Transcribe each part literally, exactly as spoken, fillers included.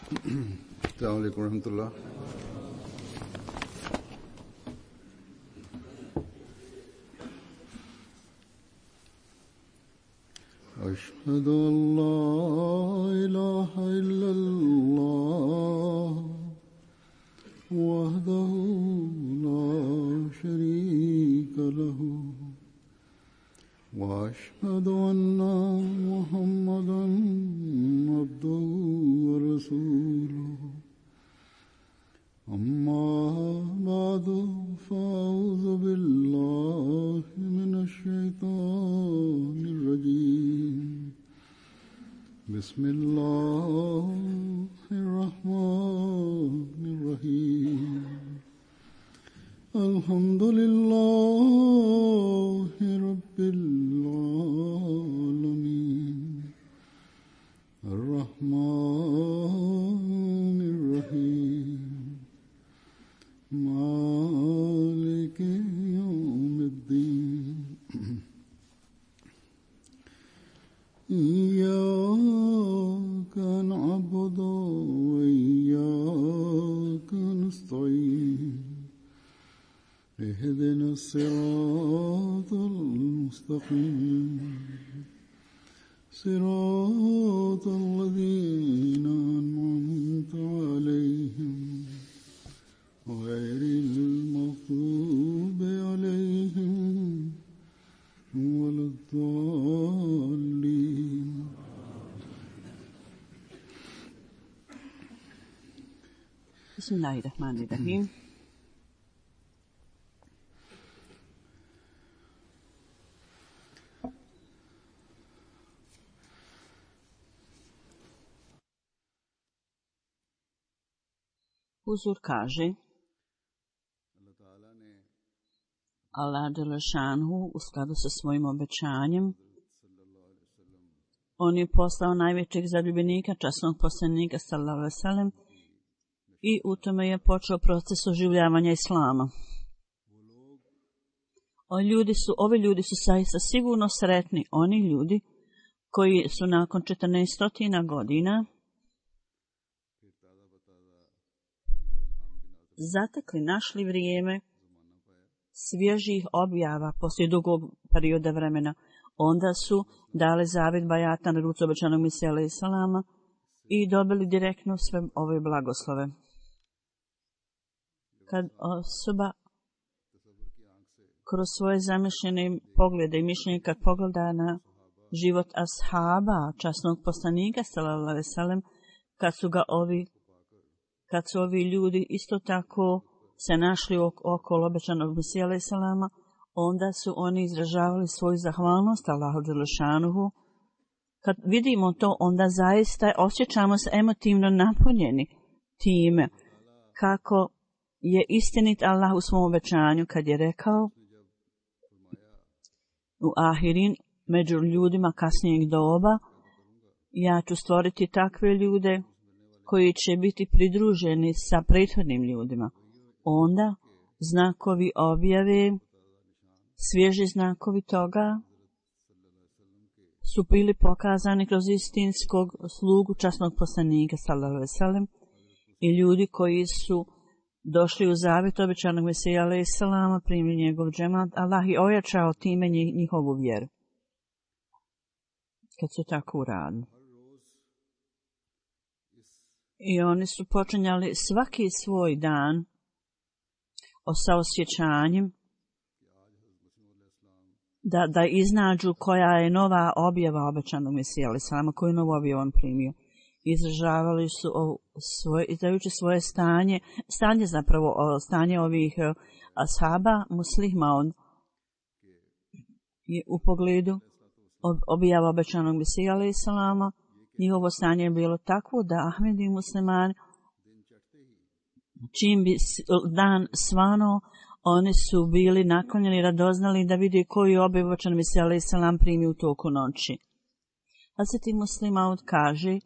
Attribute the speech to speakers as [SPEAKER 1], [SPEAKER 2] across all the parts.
[SPEAKER 1] السلام عليكم ورحمة الله. أشهد أن لا إله إلا الله وحده لا شريك له وأشهد أن محمدا عبده ورسوله أما بعد فأعوذ بالله من الشيطان الرجيم بسم الله الرحمن الرحيم الحمد لله رب العالمين الرحمن الرحيم مالك يوم الدين إياك نعبد وإياك نستعين اهدنا الصراط المستقيم صراط الذين أنعمت عليهم غير المغضوب عليهم ولا الضالين.
[SPEAKER 2] بسم الله الرحمن الرحيم. Huzur kaže, Allah dželešanhu u skladu sa svojim obećanjem, on je poslao najvećeg zaljubljenika, časnog poslanika sallallahu alejhi ve sellem, i u tome je počeo proces oživljavanja islama. O ljudi su, ovi ljudi su zaista sigurno sretni, oni ljudi koji su nakon četrnaest godina zatekli, našli vrijeme svježih objava poslije dugog perioda vremena. Onda su dali zavjet bajata na ruci obećanog Mesije alejhi selama i dobili direktno sve ove blagoslove. Kad osoba kroz svoje zamišljene poglede i mišljenje kad pogleda na život ashaba, časnog poslanika sallallahu alejhi ve sellem, kad su ga ovi kad su ovi ljudi isto tako se našli okolo obećanog Mesije alejhi selama, onda su oni izražavali svoju zahvalnost Allahu dželešanuhu. Kad vidimo to, onda zaista osjećamo se emotivno napunjeni time kako je istinit Allah u svom obećanju kad je rekao u ahirin, među ljudima kasnijeg doba, ja ću stvoriti takve ljude koji će biti pridruženi sa prethodnim ljudima. Onda znakovi objave, svježi znakovi toga su bili pokazani kroz istinskog slugu časnog poslanika sallallahu alejhi ve sellem i ljudi koji su došli u zavjet obećanog Mesija alejhi selama, primili njegov džemat. Allah je ojačao time njihovu vjeru kad su tako uradili. I oni su počinjali svaki svoj dan sa osjećanjem da, da iznađu koja je nova objava obećanog Mesija alejhi selama, koju novu objavu on primio. Izražavali su svoje, izražavajući svoje stanje, stanje zapravo, stanje ovih ashaba, muslima, on je u pogledu objava obećanog Mesija alejhi selama, njihovo stanje je bilo takvo da Ahmedi i muslimani, čim bi dan svano, oni su bili naklonjeni, radoznali da vidi koju objavu obećanog Mesija alejhi selam primi u toku noći. Hazreti Muslim Maud kaže,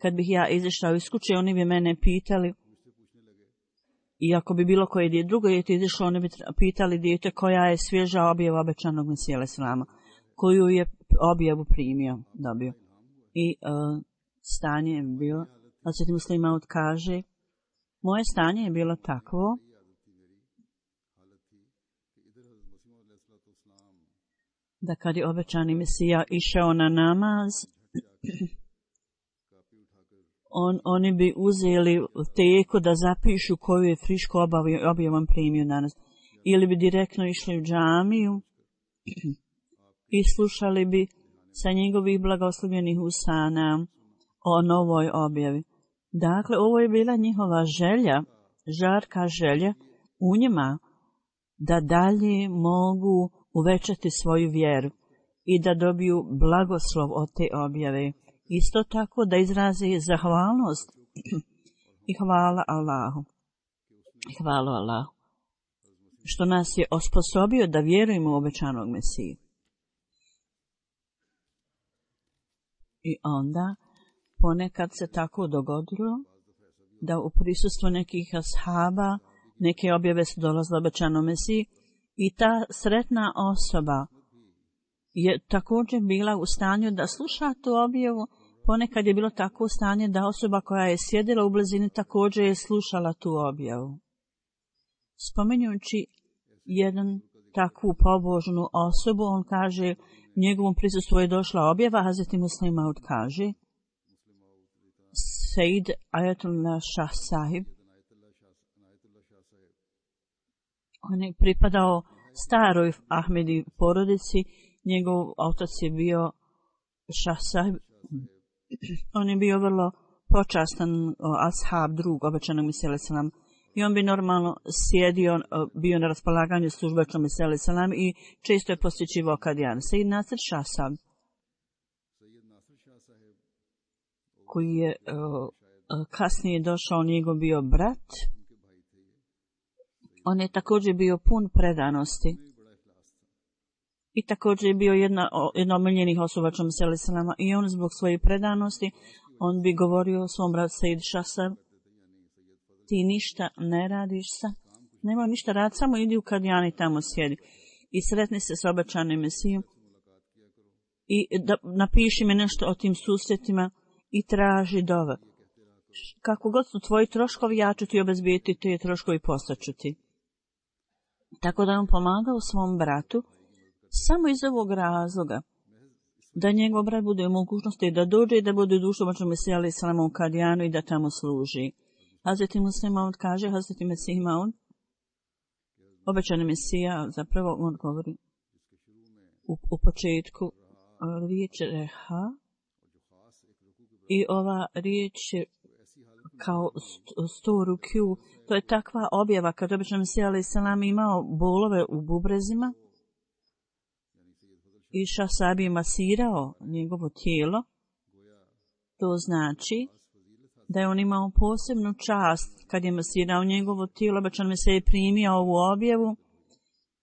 [SPEAKER 2] kad bih ja izašao iz kuće, oni bi mene pitali, i ako bi bilo koje dijete, drugo dijete izašlo, oni bi pitali dijete koja je svježa objava obećanog Mesija alejhi selama, koju je objavu primio, dobio. I uh, stanje je bilo Hazreti Muslih Maud kaže, moje stanje je bilo takvo da kad je obećani Mesija išao na namaz, on, oni bi uzeli teku da zapišu koju je friško objavom primio danas. Ili bi direktno išli u džamiju i slušali bi sa njegovih blagoslovljenih usana o novoj objavi. Dakle, ovo je bila njihova želja, žarka želja u njima da dalje mogu uvećati svoju vjeru i da dobiju blagoslov od te objave. Isto tako da izraze zahvalnost i hvala Allahu. Hvala Allahu što nas je osposobio da vjerujemo u obećanog Mesiju. I onda ponekad se tako dogodilo da u prisustvu nekih ashaba neke objave su dolazile obećanom Mesiji i ta sretna osoba je također bila u stanju da sluša tu objavu. Ponekad je bilo tako u stanje da osoba koja je sjedila u blizini također je slušala tu objavu. Spominjući jedan takvu pobožnu osobu, on kaže, njegovom prisustvu je došla objava, Hazreti Muslih Maud kaže, Sejid Ajatullah Šah Sahib, on je pripadao staroj Ahmedi porodici, njegov otac je bio Šah Sahib, on je bio vrlo počastan ashab drug obećanog Mesija alejhi selam i on bi normalno sjedio, bio na raspolaganju službe obećanog Mesija alejhi selam i često je posjećivao Kadijan. Sejid Nasir Šah Sahib, koji je uh, kasnije došao, njegov bio brat, on je također bio pun predanosti i također je bio jedna, jedna omiljenih osoba obećanog Mesija alejhi selam i on zbog svoje predanosti, on bi govorio o svom bratu Sejid Šah Sahib, ti ništa ne radiš sa, nema ništa rad, samo idi u Kadijani, tamo sjedi i sretni se s obećanim Mesijom i da, napiši mi nešto o tim susretima i traži dove. Kako god su tvoji troškovi, ja ću ti obezbijeti te troškovi, poslaću ti. Tako da on pomagao svom bratu samo iz ovog razloga da njegov brat bude u mogućnosti da dođe i da bude dušo obećanog Mesija alejhi selam u Kadijanu i da tamo služi. Hazreti Muslih Maud kaže, Hazreti Mesih Maud, obećani Mesija, zapravo on govori u, u početku riječ reha i ova riječ je kao sto rukju, to je takva objava kad obećani Mesija alejhi selam imao bolove u bubrezima i Šah Sahib je masirao njegovo tijelo, to znači da je on imao posebnu čast kad je masirao njegovo tijelo, obećan Mesija je primio ovu objavu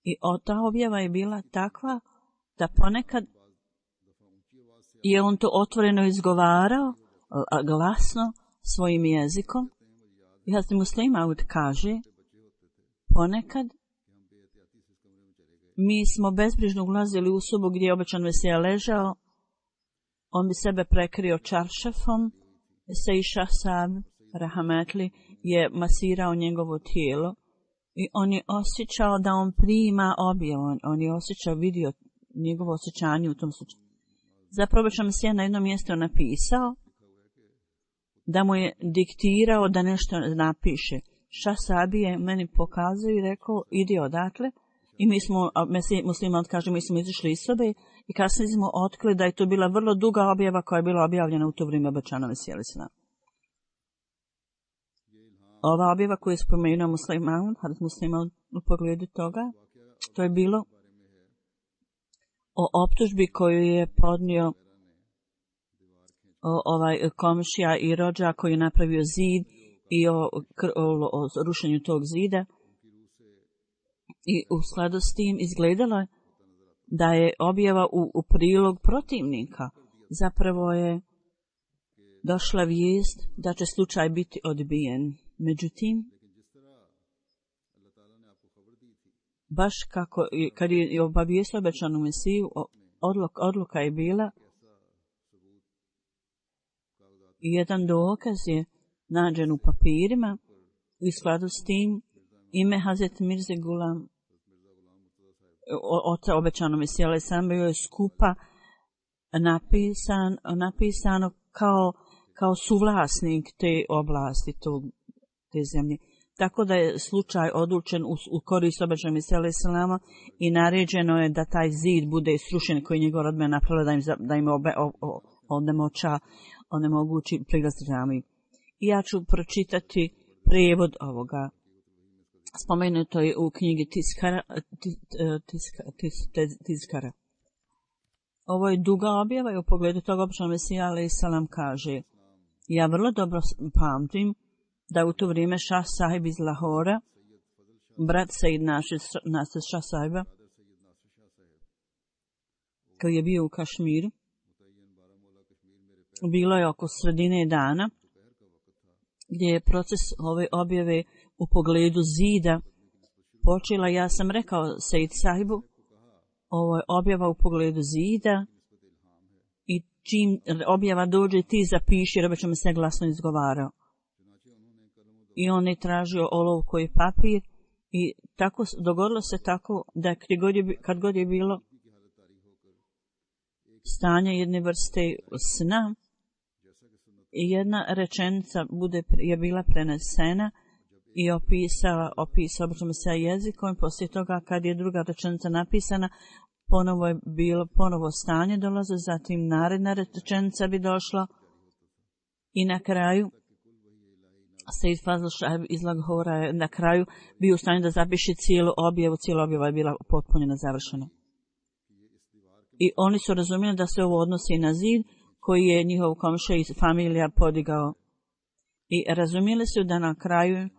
[SPEAKER 2] i ta objava je bila takva da ponekad je on to otvoreno izgovarao glasno svojim jezikom i Hazreti Muslih Maud kaže, ponekad mi smo bezbrižno ulazili u sobu gdje je obećan Mesija ležao, on bi sebe prekrio čaršafom, Sejid Šah Sahib Rahametli je masirao njegovo tijelo i on je osjećao da on prima objavu, on, on je osjećao, vidio njegovo osjećanje u tom slučaju. Zapravo obećan Mesija na jednom mjestu napisao da mu je diktirao da nešto napiše. Šah Sahib je meni pokazao i rekao, idi odatle. I mi smo, Muslih Maud kaže, mi smo izišli iz sobe i kasnije smo otkrili da je to bila vrlo duga objava koja je bila objavljena u to vrijeme obećanog Mesija alejhi selam. Ova objava koju je spomenuo Muslih Maud, Hazreti Muslih Maud u pogledu toga, to je bilo o optužbi koju je podnio o, ovaj komšija i rođa koji je napravio zid i o, o, o rušenju tog zida. I u skladu s tim izgledalo je da je objava u, u prilog protivnika. Zapravo je došla vijest da će slučaj biti odbijen. Međutim, baš kako, kad je obavijestio obećanu Mesiju, odluka, odluka je bila i jedan dokaz je nađen u papirima. U skladu s tim ime Hazret Mirze Gulam oca obećano Mesija alejhi selam bio je skupa napisan, napisano kao, kao suvlasnik te oblasti, tog, te zemlje. Tako da je slučaj odlučen u, u korist obećanog Mesija alejhi selama i naređeno je da taj zid bude srušen koji njegov rodbina napravila da im, da im obe, o, o, onemoća, onemogući prilaz džamiji. I ja ću pročitati prijevod ovoga. Spomenuto je u knjigi Tiskara, tiska, tis, tis, Tiskara. Ovo je duga objava i u pogledu toga obećanog Mesija alejhi selam kaže: ja vrlo dobro pamtim da u to vrijeme Šah Sahib iz Lahora, brat Sejid Nasir Šah Sahiba, koji je bio u Kašmiru, bilo je oko sredine dana, gdje je proces ove objave u pogledu zida počela. Ja sam rekao Sejid Sahibu, ovo je objava u pogledu zida i čim objava dođe ti zapiši, jer obećao mi se glasno izgovarao. I on je tražio olovku i papir i tako dogodilo se tako da kad god je, kad god je bilo stanje jedne vrste sna, jedna rečenica bude, je bila prenesena i opisala, opisala obično se jezikom. Poslije toga kad je druga rečenica napisana, ponovo je bilo, ponovo stanje dolaze, zatim naredna rečenica bi došla i na kraju Sejid Fazl Šahib iz Lahora je na kraju bio u stanju da zapiše cijelu objavu, cijela objava je bila potpunjena, završena. I oni su razumjeli da se ovo odnosi na zid koji je njihov komšija i familija podigao. I razumjeli su da na kraju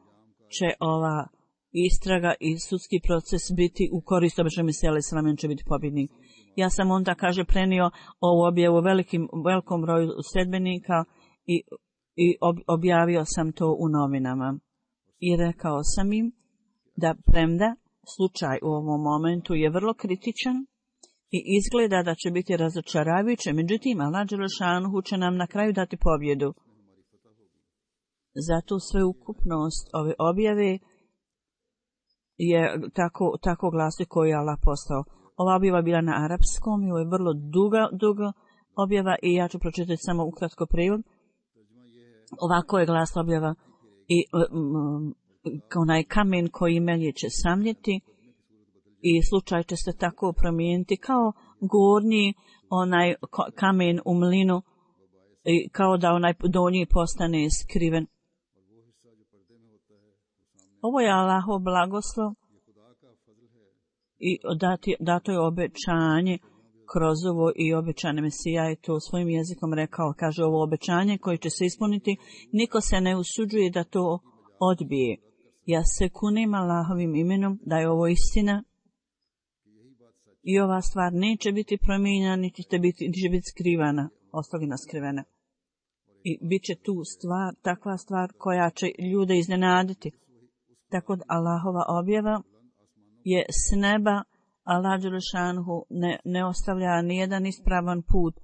[SPEAKER 2] će ova istraga i sudski proces biti u korist obećanog Mesija alejhi selam, on će biti pobjednik. Ja sam onda, kaže, prenio ovu objavu velikim, velikom broju sledbenika i, i ob, objavio sam to u novinama. I rekao sam im da premda slučaj u ovom momentu je vrlo kritičan i izgleda da će biti razočaravajuće, međutim, Allah dželešanuhu će nam na kraju dati pobjedu. Zato sveukupnost ove objave je tako, tako glasi koji je Allah postao. Ova objava bila na arapskom i ovo je vrlo duga, duga objava i ja ću pročitati samo ukratko prijevod. Ovako je glas objava i um, onaj kamen koji melje će samljeti i slučaj će se tako promijeniti kao gornji onaj kamen u mlinu i kao da onaj donji postane skriven. Ovo je Allahov blagoslov i dati, dato je obećanje kroz ovo i obećane Mesija je to svojim jezikom rekao. Kaže, ovo obećanje koje će se ispuniti, niko se ne usuđuje da to odbije. Ja se kunem Allahovim imenom da je ovo istina i ova stvar neće biti promijenjena, niti će biti, niti će biti skrivana, ostavljena skrivena. I bit će tu stvar, takva stvar koja će ljude iznenaditi. Tako da Allahova objava je s neba, Allah dželešanuhu ne, ne ostavlja nijedan ispravan put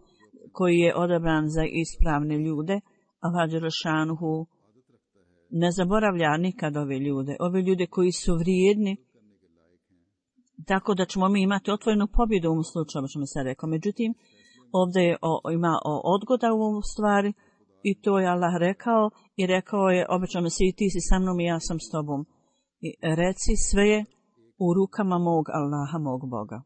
[SPEAKER 2] koji je odabran za ispravne ljude. Allah dželešanuhu ne zaboravlja nikad ove ljude, ove ljude koji su vrijedni, tako da ćemo mi imati otvorenu pobjedu u ovom slučaju, što mi se rekao. Međutim, ovdje je o, ima o odgoda u ovom stvari i to je Allah rekao i rekao je, obećao mi se i ti si sa mnom i ja sam s tobom. I reci, sve je u rukama mog Allaha, mog Boga.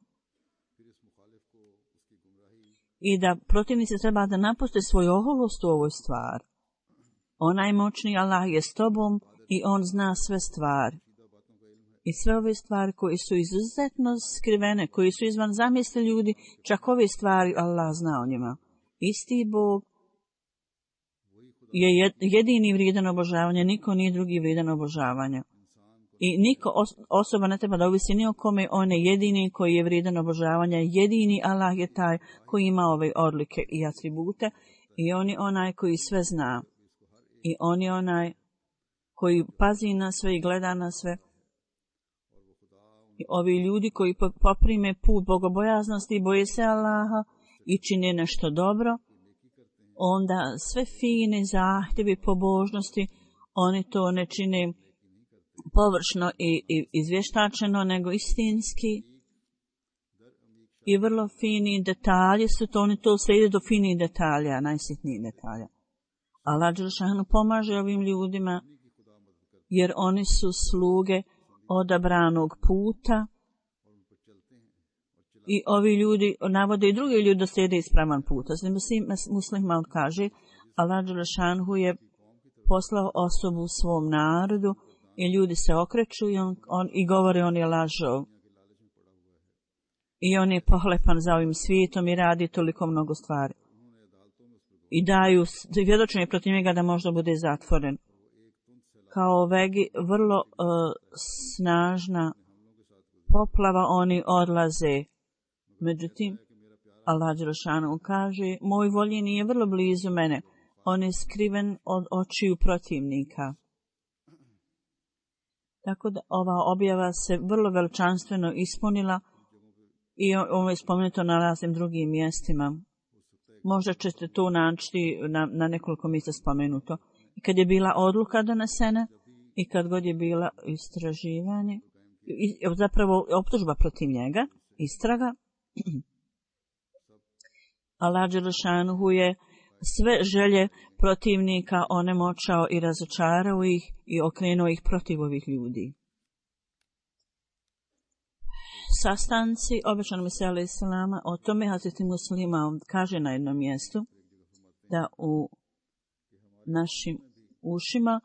[SPEAKER 2] I da protivnici treba da napuste svoju oholost u ovoj stvari. Onaj moćni Allah je s tobom i on zna sve stvari. I sve ove stvari koje su izuzetno skrivene, koje su izvan zamisli ljudi, čak ove stvari Allah zna o njima. Isti Bog je jedini vrijedan obožavanja, niko nije drugi vrijedan obožavanja. I niko osoba ne treba da ovisi ni o kome, on je jedini koji je vrijedan obožavanja, jedini Allah je taj koji ima ove odlike i atribute i on je onaj koji sve zna. I on je onaj koji pazi na sve i gleda na sve. I ovi ljudi koji poprime put bogobojaznosti i boje se Allaha i čine nešto dobro, onda sve fine zahtjevi pobožnosti, oni to ne čine površno i, i izvještačeno, nego istinski. I vrlo fini detalji su to, oni to sve ide do finih detalja, najsitnijih detalja. Allah dželešanu pomaže ovim ljudima, jer oni su sluge odabranog puta i ovi ljudi navode i drugi ljudi da slijede ispravan put. Muslima kaže, Allah dželešanu je poslao osobu u svom narodu i ljudi se okreću i, on, on, i govore on je lažov. I on je pohlepan za ovim svijetom i radi toliko mnogo stvari. I daju svjedočenje protiv njega da možda bude zatvoren. Kao vegi vrlo uh, snažna poplava oni odlaze. Međutim, Allah dželešanu kaže, moj voljeni je vrlo blizu mene. On je skriven od očiju protivnika. Tako da ova objava se vrlo veličanstveno ispunila i ovo je spomenuto na raznim drugim mjestima. Možda ćete to naći na, na nekoliko mjesta spomenuto. I kad je bila odluka donesena i kad god je bila istraživanje, i, zapravo optužba protiv njega, istraga, Allah dželešanu je sve želje protivnika onemoćao i razočarao ih i okrenuo ih protiv ovih ljudi. Sastanci obećanog Mesija alejhi selama, o tome Hazreti Muslima kaže na jednom mjestu da u našim ušima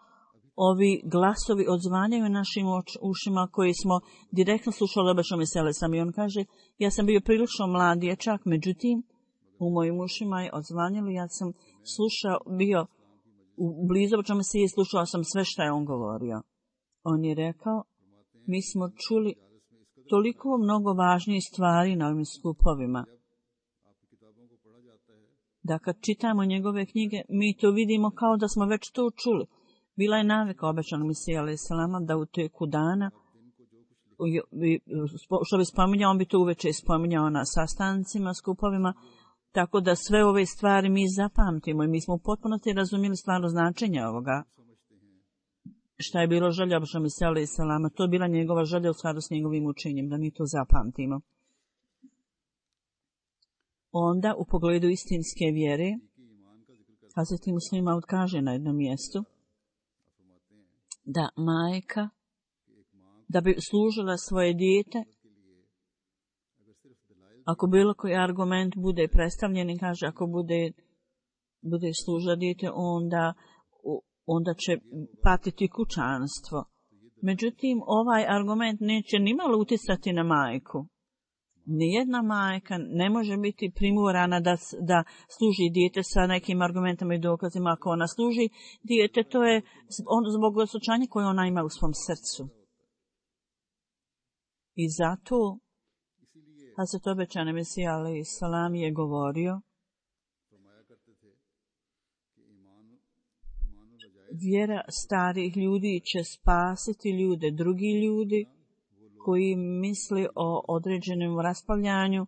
[SPEAKER 2] ovi glasovi odzvanjaju našim ušima koji smo direktno slušali obećanog Mesija alejhi selam. I on kaže, ja sam bio prilično mlad dječak, međutim u mojim ušima je odzvanjalo, ja sam slušao, bio u blizu obećanog Mesije i slušao sam sve što je on govorio. On je rekao, mi smo čuli toliko mnogo važnijih stvari na ovim skupovima, da kad čitamo njegove knjige, mi to vidimo kao da smo već to čuli. Bila je navika obećanog Mesija alejhi selama da u teku dana, što bi spominjao, on bi to uveče spominjao na sastancima, skupovima, tako da sve ove stvari mi zapamtimo i mi smo u potpunosti razumjeli stvarno značenje ovoga. Šta je bilo želja obećanog Mesija alejhi selama, to je bila njegova želja u skladu s njegovim učenjem, da mi to zapamtimo. Onda, u pogledu istinske vjere, Hazreti Muslima kaže na jednom mjestu da majka, da bi služila svoje dijete, ako bilo koji argument bude predstavljen, kaže ako bude, bude služila dijete, onda, onda će patiti kućanstvo. Međutim, ovaj argument neće nimalo utjecati na majku. Nijedna majka ne može biti primorana da, da služi dijete sa nekim argumentama i dokazima. Ako ona služi dijete, to je on, zbog osjećanja koje ona ima u svom srcu. I zato Hazret obećani Mesija alejhi selam je govorio, vjera starih ljudi će spasiti ljude, drugi ljudi koji misli o određenom raspravljanju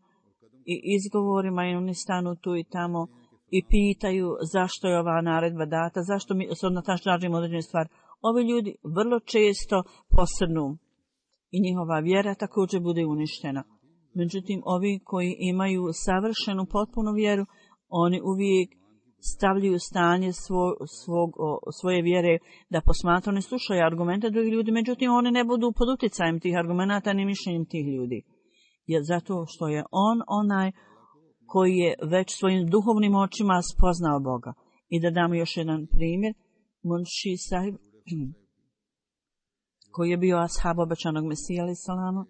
[SPEAKER 2] i izgovorima i oni stanu tu i tamo i pitaju zašto je ova naredba data, zašto mi se odnatažimo određene stvari. Ovi ljudi vrlo često posrnu i njihova vjera također bude uništena. Međutim, ovi koji imaju savršenu, potpunu vjeru, oni uvijek stavljaju stanje svog, svog, svoje vjere da posmatraju, ne slušaju argumente drugih ljudi, međutim oni ne budu pod utjecajem tih argumenta ni mišljenjem tih ljudi. Jer zato što je on onaj koji je već svojim duhovnim očima spoznao Boga. I da damo još jedan primjer, Munši sahib, koji je bio ashab obećanog Mesija alejhi selama,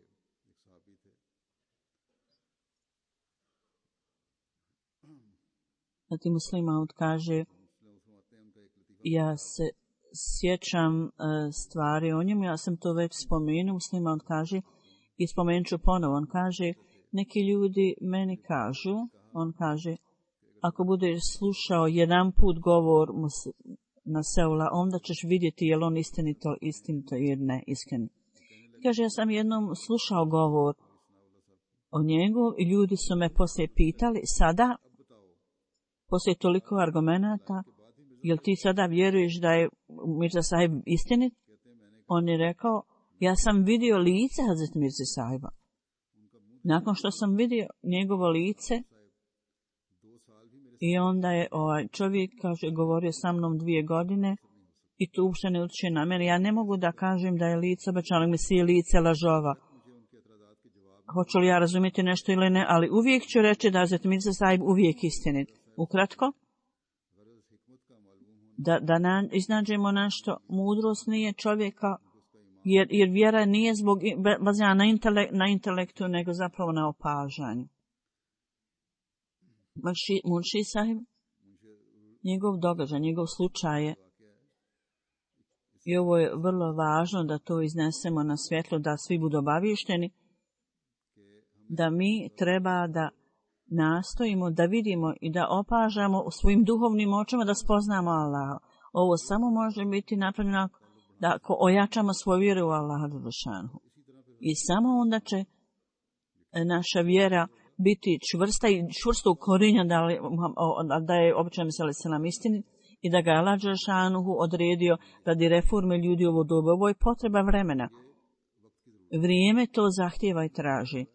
[SPEAKER 2] Zati Muslima kaže, ja se sjećam uh, stvari o njemu, ja sam to već spomenuo, Muslima kaže, i spomenut ću ponovo, on kaže, neki ljudi meni kažu, on kaže, ako budeš slušao jedan put govor na Seula, onda ćeš vidjeti je li on istinito, istinito ili ne iskren. Kaže, ja sam jednom slušao govor o njegu i ljudi su me poslije pitali, sada poslije toliko argumenata, jel ti sada vjeruješ da je Mirza Sahib istinit? On je rekao, ja sam vidio lice Hazret Mirze Sahiba. Nakon što sam vidio njegovo lice, i onda je ovaj čovjek, kaže, govorio sa mnom dvije godine i tu uopšte ne utječe na mene. Ja ne mogu da kažem da je lice obećanog Mesije lice lažova. Hoću li ja razumjeti nešto ili ne, ali uvijek ću reći da Hazret Mirza Sahib uvijek istinit. Ukratko, da, da na, iznađemo nešto, mudrost nije čovjeka, jer, jer vjera nije zbog bazirana na, intele, na intelektu, nego zapravo na opažanju. Munši Sahib, njegov događaj, njegov slučaj je, i ovo je vrlo važno da to iznesemo na svjetlo, da svi budu obavješteni, da mi treba da nastojimo da vidimo i da opažamo u svojim duhovnim očima da spoznamo Allaha. Ovo samo može biti napravljeno da ako ojačamo svoju vjeru u Allaha Đelešanu. I samo onda će naša vjera biti čvrsta i čvrsto ukorinja da, da je običajno se selam istini i da ga Allah Đelešanu odredio radi reforme ljudi u ovo doba. Ovo je potreba vremena. Vrijeme to zahtijeva i traži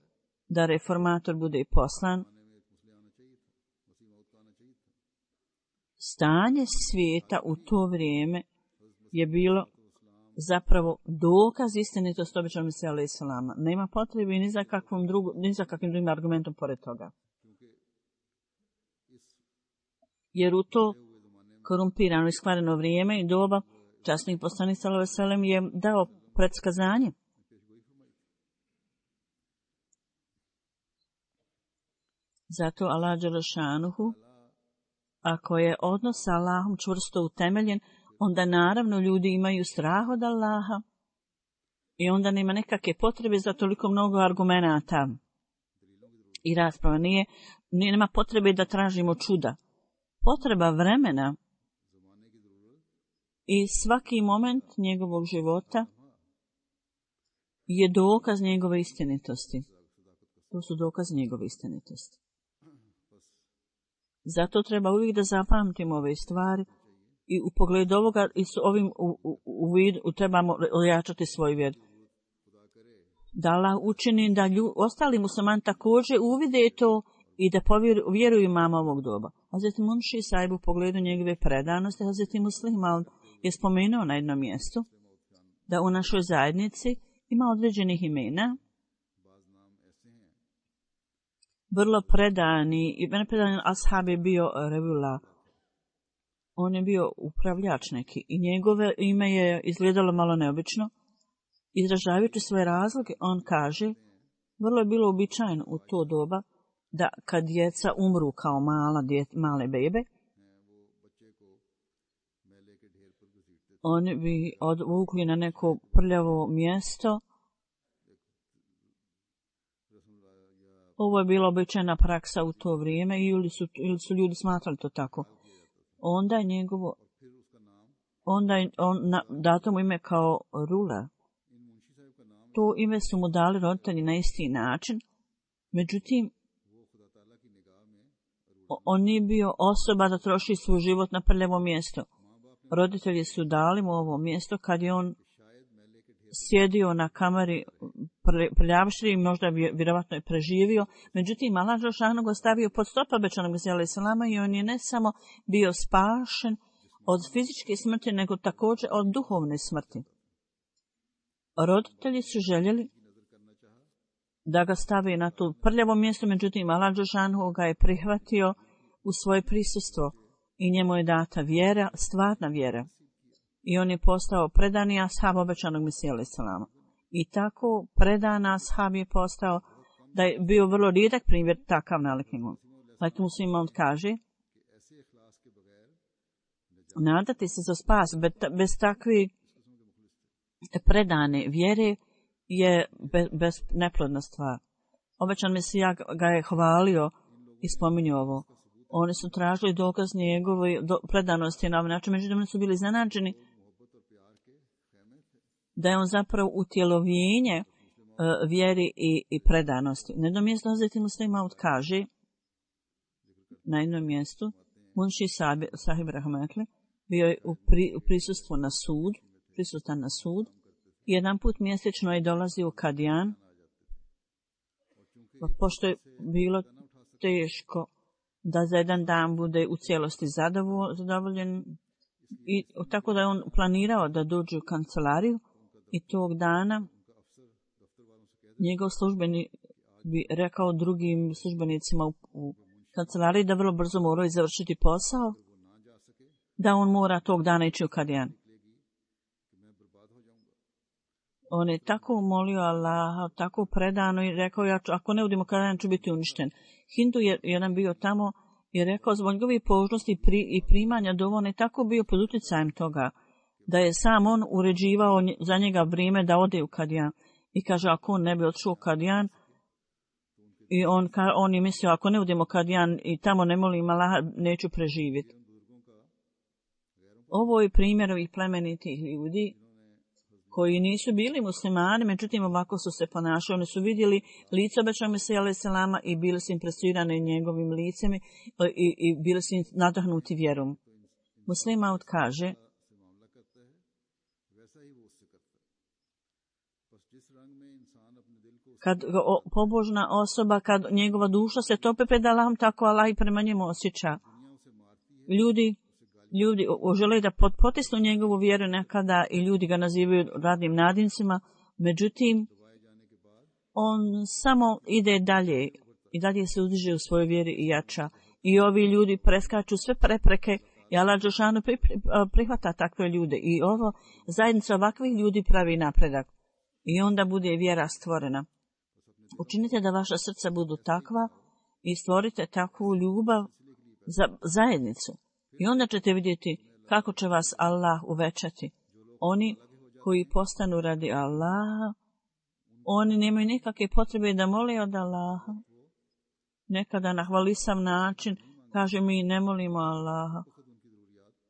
[SPEAKER 2] da reformator bude poslan. Stanje svijeta u to vrijeme je bilo zapravo dokaz istinitosti običajnog Mesije alejhi selama. Nema potrebe ni za kakvom drugu, ni za kakvim drugim argumentom pored toga. Jer u to korumpirano i skvareno vrijeme i doba časnih poslanik sallallahu alejhi ve sellem je dao predskazanje. Zato Allah Đelešanuhu, ako je odnos sa Allahom čvrsto utemeljen, onda naravno ljudi imaju strah od Allaha i onda nema nekakve potrebe za toliko mnogo argumenata i rasprava. Nije, nije, nema potrebe da tražimo čuda. Potreba vremena i svaki moment njegovog života je dokaz njegove istinitosti. To su dokaz njegove istinitosti. Zato treba uvijek da zapamtimo ove stvari i u pogledu ovoga i s ovim u, u, u vidu trebamo ojačati svoj vjer. Da Allah učini da lju, ostali muslimani također uvide to i da povjeruju imama ovog doba. Hazreti Munši Sahib u pogledu njegove predanosti, Hazreti Muslima je spomenuo na jednom mjestu da u našoj zajednici ima određenih imena, vrlo predani, i mene predani ashab je bio Revula. On je bio upravljač neki i njegove ime je izgledalo malo neobično. Izražavajući svoje razloge, on kaže, vrlo je bilo običajno u to doba da kad djeca umru kao mala djet, male bebe, oni bi odvukli na neko prljavo mjesto. Ovo je bila običajna praksa u to vrijeme ili su, ili su ljudi smatrali to tako. Onda je njegovo, onda je on na, dato mu ime kao Rula. To ime su mu dali roditelji na isti način, međutim, on nije bio osoba da troši svoj život na prljavo mjesto. Roditelji su dali mu ovo mjesto kad je on sjedio na kamari prljavšri i možda bi vjerovatno je preživio. Međutim, Allah Đelešanu ga stavio pod stopa obećanog Mesije alejhi selama i on je ne samo bio spašen od fizičke smrti, nego također od duhovne smrti. Roditelji su željeli da ga stavi na to prljavo mjesto, međutim, Allah Đelešanu ga je prihvatio u svoje prisustvo i njemu je data vjera, stvarna vjera. I on je postao predani ashab obećanog Mesije alejhi selama. I tako predan ashab je postao da je bio vrlo rijedak primjer takav nalik njemu. Like muslima on kaže, nadati se za spas bez, bez takve predane vjere je bez, bez neplodna stvar. Obećan Mesija ga je hvalio i spominjao ovo. Oni su tražili dokaz njegove do, predanosti na ovaj način, međutim oni su bili zanađeni da je on zapravo utjelovljenje uh, vjeri i, i predanosti. Na jednom mjestu Hazreti Muslima kaže, na jednom mjestu, Munši sahib rahmetli bio je u, pri, u prisustvu na sud, prisutan na sud. Jedan put mjesečno je dolazio u Kadijan, pošto je bilo teško da za jedan dan bude u cijelosti zadovoljen. I tako da je on planirao da dođe u kancelariju i tog dana njegov službenik bi rekao drugim službenicima u, u kancelariji da vrlo brzo moraju završiti posao, da on mora tog dana ići u Kadijan. On je tako molio Allaha, tako predano i rekao, ja ću, ako ne udimo Kadijan ću biti uništen. Hindu je jedan bio tamo i rekao, zbog njegovih požnosti i, pri, i primanja dova, on je tako bio pod utjecajem toga, da je sam on uređivao za njega vrijeme da ode u Kadijan. I kaže, ako on ne bi otišao u Kadijan, i on, on je mislio, ako ne udimo Kadijan i tamo ne molim Allaha, neću preživjeti. Ovo je primjer ovih plemenitih ljudi koji nisu bili muslimani, međutim ovako su se ponašali. Oni su vidjeli lice obećanog Mesija alejhi selama i bili su impresirani njegovim licem i, i, i bili su nadahnuti vjerom. Muslim Maud kaže, kad o, pobožna osoba, kad njegova duša se tope pred Allahom, tako Allah i prema njemu osjeća. Ljudi Ljudi žele da potisnu njegovu vjeru nekada i ljudi ga nazivaju radnim nadincima, međutim, on samo ide dalje i dalje se uzdiže u svojoj vjeri i jača. I ovi ljudi preskaču sve prepreke i Allah dželešanu prihvata takve ljude. I ovo zajednica ovakvih ljudi pravi napredak. I onda bude vjera stvorena. Učinite da vaša srca budu takva i stvorite takvu ljubav za zajednicu. I onda ćete vidjeti kako će vas Allah uvećati. Oni koji postanu radi Allaha, oni nemaju nikakve potrebe da mole od Allaha. Nekada na hvalisav način kaže mi ne molimo Allaha.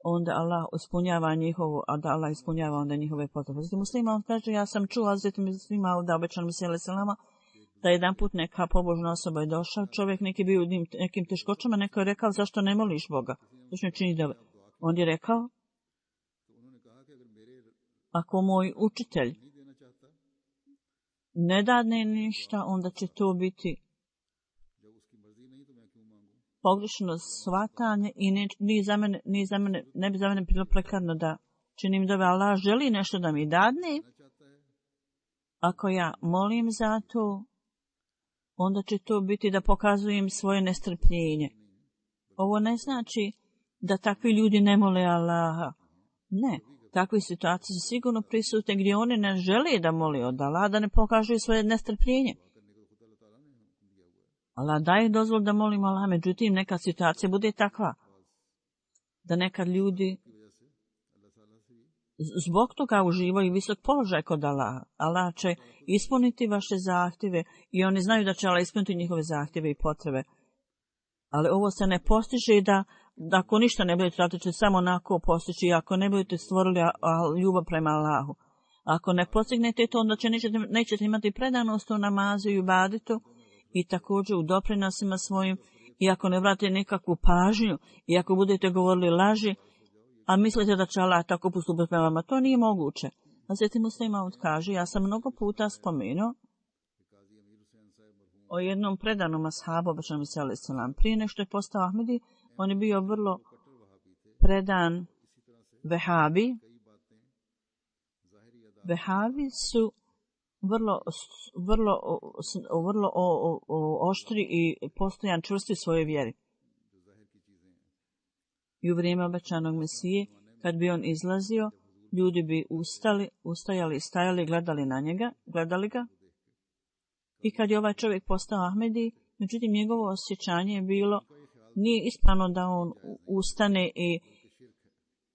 [SPEAKER 2] Onda Allah ispunjava njihovu, a da Allah ispunjava onda njihove potrebe. Znači muslima on kaže, ja sam čuo Hazreti muslima da obećan Mesija alejhi selama da jedan put neka pobožna osoba je došao, čovjek neki bio u nekim teškoćama, neko je rekao zašto ne moliš Boga? Zašto ne čini dove? On je rekao, ako moj učitelj ne dadne ništa, onda će to biti pogrešno shvatanje i ne, ni za mene, ni za mene, ne bi za mene bilo prekarno da činim dove. Allah želi nešto da mi dadne. Ako ja molim za to, onda će to biti da pokazujem svoje nestrpljenje. Ovo ne znači da takvi ljudi ne mole Allaha. Ne, takve situacije su sigurno prisutne gdje oni ne žele da moli od Allaha, da ne pokažu svoje nestrpljenje. Allah daje dozvol da molimo Allaha, međutim neka situacija bude takva da nekad ljudi zbog toga uživaju visok položaj kod Allaha. Allah će ispuniti vaše zahtjeve i oni znaju da će Allah ispuniti njihove zahtjeve i potrebe. Ali ovo se ne postiže da, da ako ništa ne budete raditi, će samo onako postići. Ako ne budete stvorili ljubav prema Allahu. Ako ne postignete to, onda će nećete, nećete imati predanost u namazu i ibaditu i također u doprinosima svojim. I ako ne vratite nekakvu pažnju i ako budete govorili laži, a mislite da će Allah tako postupiti prema vama, to nije moguće. Hazreti Muslim Maud kaže, ja sam mnogo puta spomenuo o jednom predanom ashabu, obećanom Mesija alejhi selam. Prije nešto je postao Ahmedi, on je bio vrlo predan Vehabi. Vehabi su vrlo, vrlo, vrlo o, o, o, oštri i postojan čvrsti u svojoj vjeri. I u vrijeme obećanog Mesije, kad bi on izlazio, ljudi bi ustali, ustajali, stajali, gledali na njega, gledali ga. I kad je ovaj čovjek postao Ahmedi, međutim njegovo osjećanje je bilo, nije ispravno da on ustane i,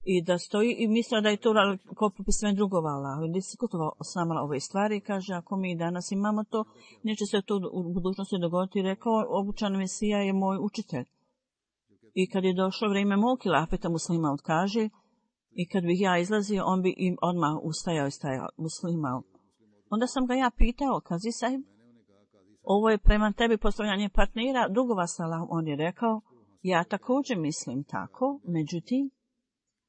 [SPEAKER 2] i da stoji i mislio da je to ko popisivanje drugova Allahu. I diskutovao s nama ove stvari i kaže, ako mi danas imamo to, neće se to u budućnosti dogoditi. Rekao, obučan Mesija je moj učitelj. I kad je došlo vrijeme mog hilafeta, Muslim Maud kaže, i kad bih ja izlazio, on bi im odmah ustajao i stajao, Muslim Maud. Onda sam ga ja pitao, kazi sahib, ovo je prema tebi postavljanje partnera, drugova s Allahom. On je rekao, Ja također mislim tako, međutim,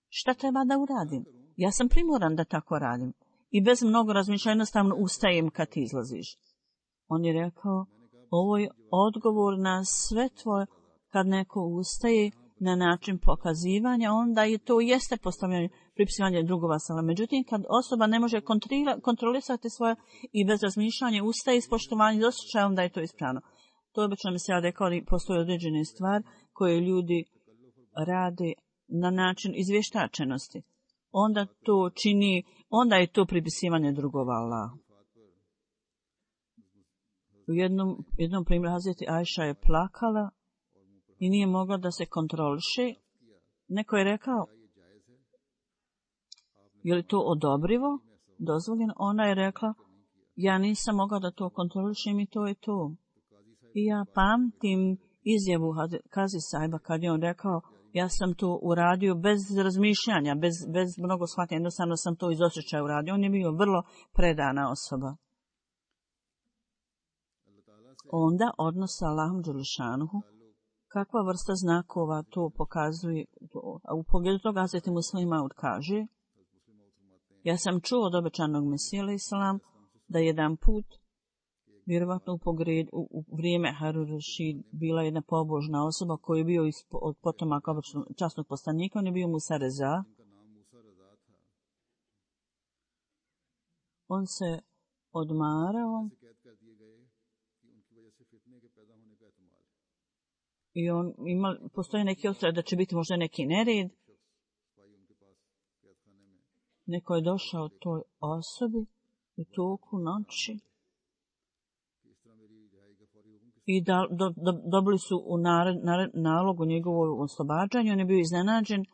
[SPEAKER 2] šta treba da uradim? Ja sam primoran da tako radim. I bez mnogo razmišljanja jednostavno ustajem kad ti izlaziš. On je rekao, ovo je odgovor na sve tvoje, kad neko ustaje na način pokazivanja, onda je to jeste postavljanje, pripisivanje drugova sala. Međutim, kad osoba ne može kontrolisati svoje i bez razmišljanja ustaje iz poštovanja i osjećaja, onda je to ispravno. To je obično mi se ja rekao, postoje određene stvari koje ljudi rade na način izvještačenosti. Onda to čini, onda je to pripisivanje drugova Allahu. U jednom, jednom primjeru Hazreti Ajša je plakala i nije mogla da se kontroliše. Neko je rekao, je li to odobrivo, dozvoljeno? Ona je rekla, ja nisam mogla da to kontrolišem i to je to. I ja pamtim izjavu Kazi Saiba kad je on rekao, ja sam to uradio bez razmišljanja, bez, bez mnogo shvatanja, jednostavno sam to iz osjećaja uradio. On je bio vrlo predana osoba. Onda odnos sa Allahom Đelešanuhu, kakva vrsta znakova to pokazuje, a u pogledu toga Hazreti Muslima kaže, ja sam čuo od obećanog Mesija alejhi selam da jedan put, vjerovatno u, pogred, u, u vrijeme Harun Rašid, bila jedna pobožna osoba koji je bio ispo, od potomaka časnog poslanika, on je bio Musa Reza. On se odmarao i on ima, postoje neki osjećaj da će biti možda neki nered. Neko je došao toj osobi u toku noći i da, do, do, dobili su u nared, nared, nalogu njegovog oslobađanja. On je bio iznenađen.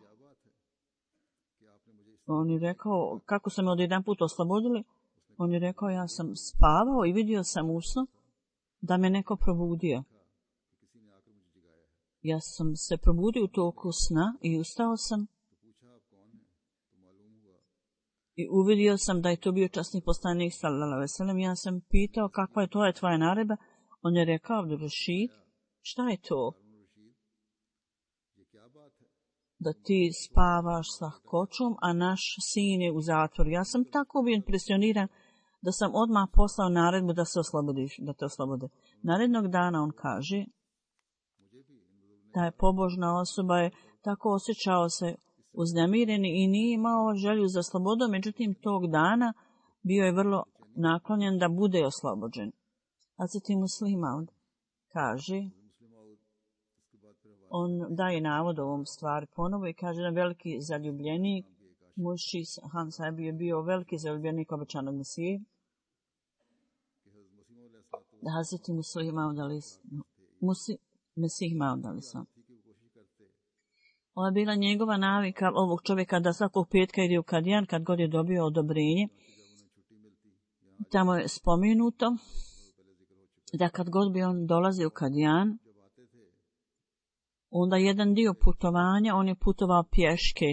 [SPEAKER 2] On je rekao, kako su me od jedan put oslobodili? On je rekao, ja sam spavao i vidio sam usno da me neko probudio. Ja sam se probudio u toku sna i ustao sam i uvidio sam da je to bio časni poslanik sallallahu alejhi ve sellem. Ja sam pitao kakva je to je tvoja naredba. On je rekao, Abdul Rashid, šta je to? Da ti spavaš sa kočom, a naš sin je u zatvoru. Ja sam tako bio impresioniran da sam odmah poslao naredbu da se oslobodiš, da te oslobode. Narednog dana on kaže, ta je pobožna osoba je tako osjećao se uznemireni i nije imao želju za slobodom, međutim tog dana bio je vrlo naklonjen da bude oslobođen. Hazreti Muslima kaže, on daje navod ovom stvari ponovo i kaže da veliki zaljubljenik, Muši Han Sahib je bio veliki zaljubljenik obećanog Mesije, da Hazreti Muslima udali Musi, Mesih udali sam. Ovo je bila njegova navika ovog čovjeka da svakog petka ide u Kadijan kad god je dobio odobrenje. Tamo je spomenuto da kad god bi on dolazi u Kadijan, onda jedan dio putovanja, on je putovao pješke,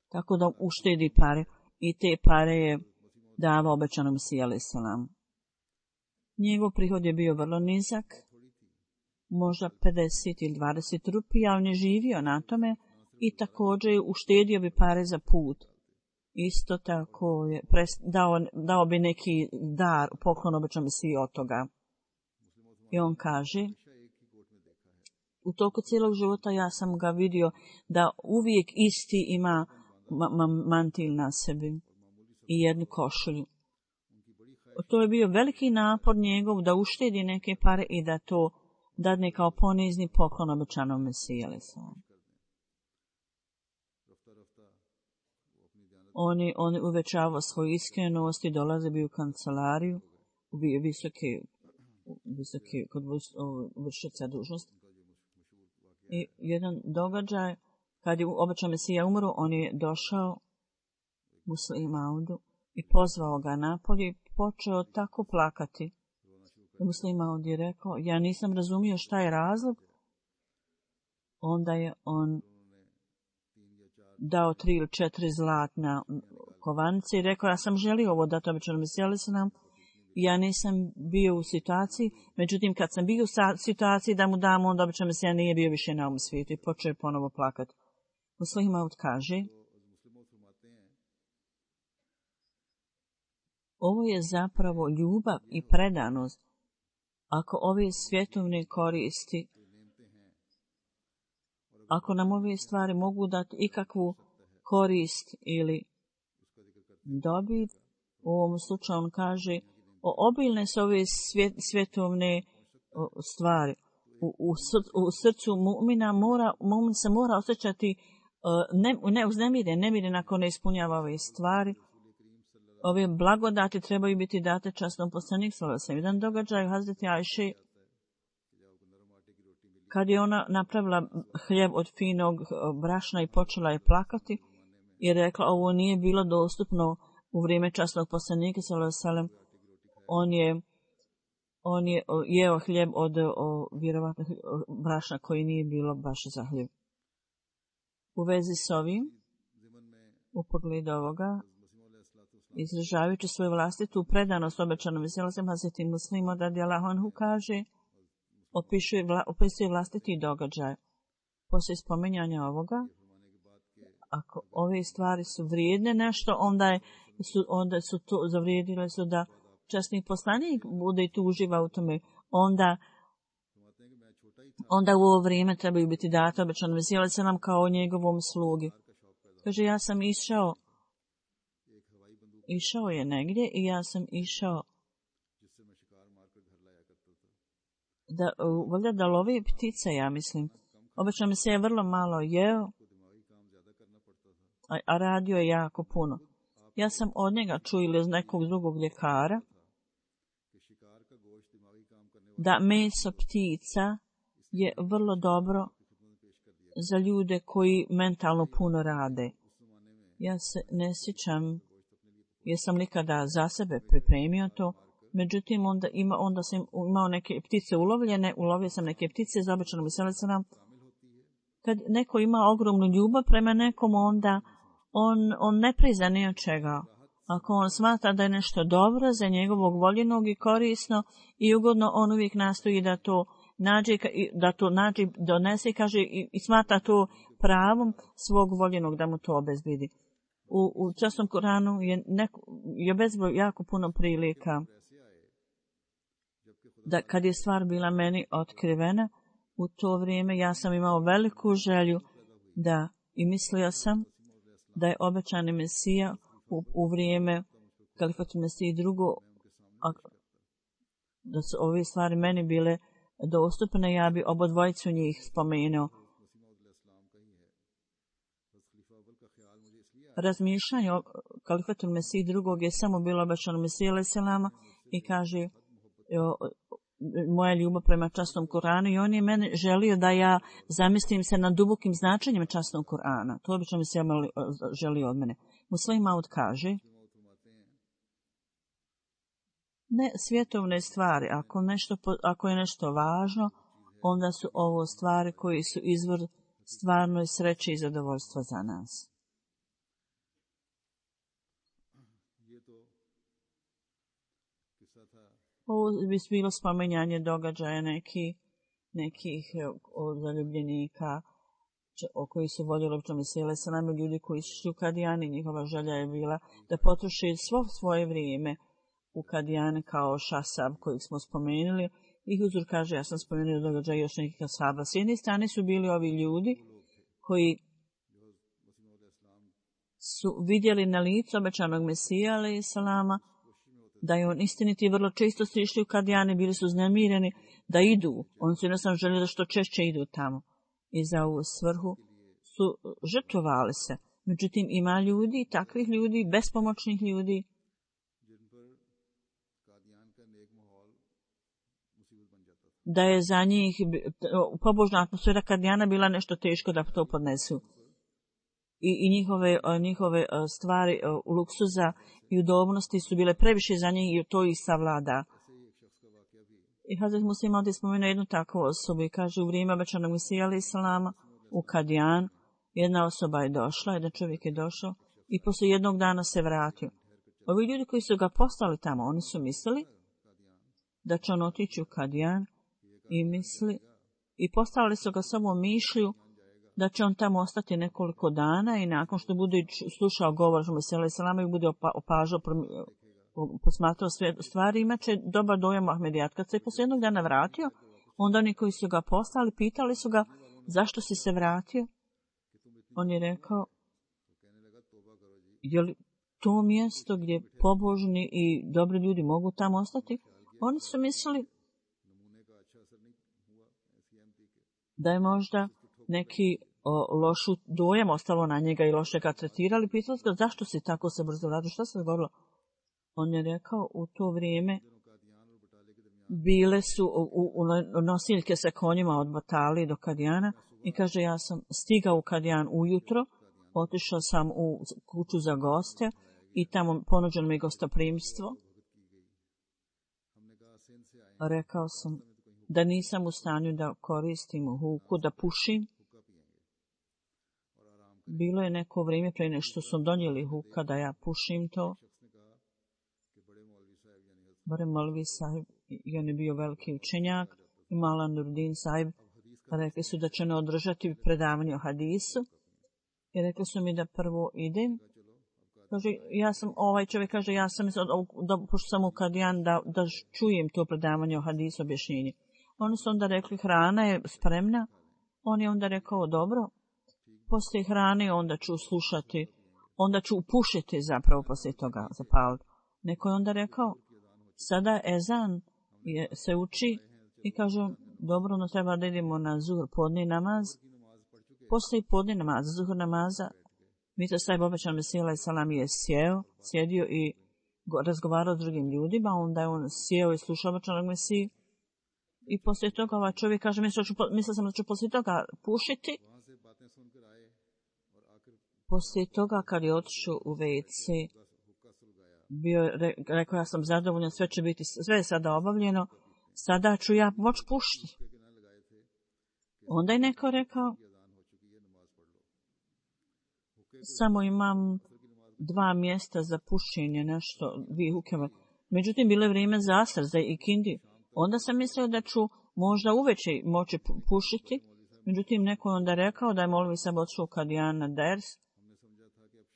[SPEAKER 2] tako da uštedi pare. I te pare je davao obećanom Mesiji alejhi selam. Njegov prihod je bio vrlo nizak, možda pedeset ili dvadeset rupija, on je živio na tome i također uštedio bi pare za put. Isto tako je pres, dao, dao bi neki dar, poklon obećanom Mesiji od toga. I on kaže, u toku cijelog života ja sam ga vidio da uvijek isti ima ma, ma, mantil na sebi i jednu košulju. To je bio veliki napor njegov da uštedi neke pare i da to dadne kao ponizni poklon obećanom Mesiji alejhi selam. On je, on je uvećavao svoju iskrenost i dolaze bi u kancelariju, bio visoke, visoke kod vršioca dužnosti. I jedan događaj, kad je obećan Mesija umro, on je došao Muslima Audu i pozvao ga napolje i počeo tako plakati. Muslima Aud je rekao, ja nisam razumio šta je razlog. Onda je on dao tri ili četiri zlatna kovanice i rekao, ja sam želio ovo dati obećanom Mesiji alejhi selam Ja nisam bio u situaciji, međutim kad sam bio u situaciji da mu dam, onda obično mi se ja nije bio više na ovom svijetu i počeo je ponovo plakati. Muslih Maud kaže, ovo je zapravo ljubav i predanost. Ako ove svjetovne koristi, ako nam ove stvari mogu dati ikakvu korist ili dobit, u ovom slučaju on kaže, o, obilne su ove svjet, svjetovne o, stvari. U, u, sr, u srcu mu'mina mora, mu'min se mora osjećati uh, ne, ne uznemiren, nemiren ako ne ispunjava ove stvari. Ove blagodati trebaju biti date časnom poslaniku sallallahu alejhi ve sellem. Jedan događaj Hazreti Ajše, kad je ona napravila hljeb od finog brašna i počela je plakati i rekla ovo nije bilo dostupno u vrijeme časnog poslanika sallallahu alejhi ve sellem. On je on je jeo hljeb od o, vjerovatno brašna koji nije bilo baš za hljeb. U vezi s ovim, u pogledu ovoga, izražavajući svoju vlastitu predanost obećanom veselosem, Hazreti Muslim radijallahu anhu kaže, opisuje, vla, opisuje vlastiti događaj. Poslije spominjanja ovoga, ako ove stvari su vrijedne nešto, onda, je, su, onda su to zavrijedile su da časni poslanik bude i tu uživa u tome. Onda, onda u ovo vrijeme trebaju biti data obećanom veselosem kao njegovom slugi. Kaže, ja sam išao Išao je negdje i ja sam išao da, valjda da lovi ptice, ja mislim. Obično mi se je vrlo malo jeo, a, a radio je jako puno. Ja sam od njega čuo ili iz nekog drugog ljekara da meso ptica je vrlo dobro za ljude koji mentalno puno rade. Ja se ne sjećam jesam nikada za sebe pripremio to, međutim onda, ima, onda sam imao neke ptice ulovljene, ulovio sam neke ptice, za običanom veselicama. Kad neko ima ogromnu ljubav prema nekom, onda on, on ne priza ni od čega. Ako on smatra da je nešto dobro za njegovog voljenog i korisno i ugodno, on uvijek nastoji da to nađe, da to nađe, donese i kaže i, i smatra to pravom svog voljenog da mu to obezbedi. U, u časnom Kuranu je, neko, je bezbroj jako puno prilika da kad je stvar bila meni otkrivena, u to vrijeme ja sam imao veliku želju da i mislio sam da je obećani Mesija u, u vrijeme kalifatu Mesiji drugo, a, da su ove stvari meni bile dostupne, ja bi obodvojicu njih spomenuo. Razmišljanje o kalifatu Mesiji drugog je samo bilo obećano Mesiji alejhi selama i kaže o, moja ljubav prema časnom Kuranu i on je meni želio da ja zamislim se nad dubokim značenjem časnog Kurana. To obično mi se želio od mene. Muslim Maud kaže, ne svjetovne stvari, ako, nešto, ako je nešto važno, onda su ovo stvari koji su izvor stvarnoj sreće i zadovoljstva za nas. Ovo bi bilo spominjanje događaja neki, nekih o, zaljubljenika o koji su voljeli obično vesele sa nama, ljudi koji su u Kadijani. Njihova želja je bila da potroše svo svoje vrijeme u Kadijane kao Šasab kojeg smo spomenuli. I Huzur kaže, ja sam spomenuo događaj još nekih Asaba. S jedne strane su bili ovi ljudi koji su vidjeli na licu obećanog Mesija alejhi selama da je on istiniti, vrlo često su išli u Kadijane, bili su uznemireni da idu. Oni su jednostavno željeli da što češće idu tamo. I za ovu svrhu su žrtvovali se. Međutim, ima ljudi, takvih ljudi, bespomoćnih ljudi, da je za njih pobožna atmosfera Kadijana bila nešto teško da to podnesu. I, i njihove, njihove stvari luksuza i udobnosti su bile previše za njih i to ih savlada. I Hazret Muslim ovdje spomenuo jednu takvu osobu i kaže u vrijeme obećanog Mesija alejhi selama u Kadijan jedna osoba je došla, jedan čovjek je došao i poslije jednog dana se vratio. Ovi ljudi koji su ga poslali tamo, oni su mislili da će on otići u Kadijan i misli, i postavili su ga samo mišlju da će on tamo ostati nekoliko dana i nakon što bude slušao govor Mesija Selama i bude opažao, posmatrao sve stvari, imaće dobar dojam Ahmedijat. Kad se poslije jednog dana vratio, onda oni koji su ga postali, pitali su ga zašto si se vratio. On je rekao, je li to mjesto gdje pobožni i dobri ljudi mogu tamo ostati? Oni su mislili da je možda neki o, lošu dojam ostalo na njega i loše ga tretirali. Pitali su ga zašto si tako se brzo vratio, šta se dogodilo? On je rekao, u to vrijeme bile su u, u, u nosiljke sa konjima od Batali do Kadijana i kaže, ja sam stigao u Kadijan ujutro, otišao sam u kuću za goste i tamo ponuđeno mi gostoprimstvo. Rekao sam da nisam u stanju da koristim huku, da pušim. Bilo je neko vrijeme prije nešto su donijeli huka da ja pušim to. Barem Malvi sahib, i on je bio veliki učenjak, i Mala Nurdin sahib, rekli su da će ne održati predavanje o hadisu. I rekli su mi da prvo idem. Kaže, ja sam, ovaj čovjek kaže, ja sam, da, pošto sam u Kadijan, da, da čujem to predavanje o hadisu, objašnjenje. Oni su onda rekli, hrana je spremna. On je onda rekao, dobro, poslije hrane onda ću slušati, onda ću upušiti zapravo poslije toga zapaliti. Neko je onda rekao, sada ezan je, se uči i kaže, dobro, no treba da idemo na zuhr, podni namaz. Poslije podni namaz, zuhr namaza, Mita Sahib obećan Mesija Salam je sjeo, sjedio i razgovarao s drugim ljudima, onda je on sjeo i slušao obećanog Mesiju. I poslije toga ovaj čovjek kaže, mislio sam da ću poslije toga pušiti. Poslije toga kad je otišao u ve ce, bio, re, rekao, ja sam zadovoljan, sve će biti, sve je sada obavljeno, sada ću ja moći pušiti. Onda je neko rekao, samo imam dva mjesta za pušenje, nešto, dvije hukeme. Međutim, bilo je vrijeme za asr, za ikindi. Onda sam mislio da ću možda uveče moći pušiti. Međutim, neko je onda rekao da je Molvi Sahib odšao Kadijan na ders.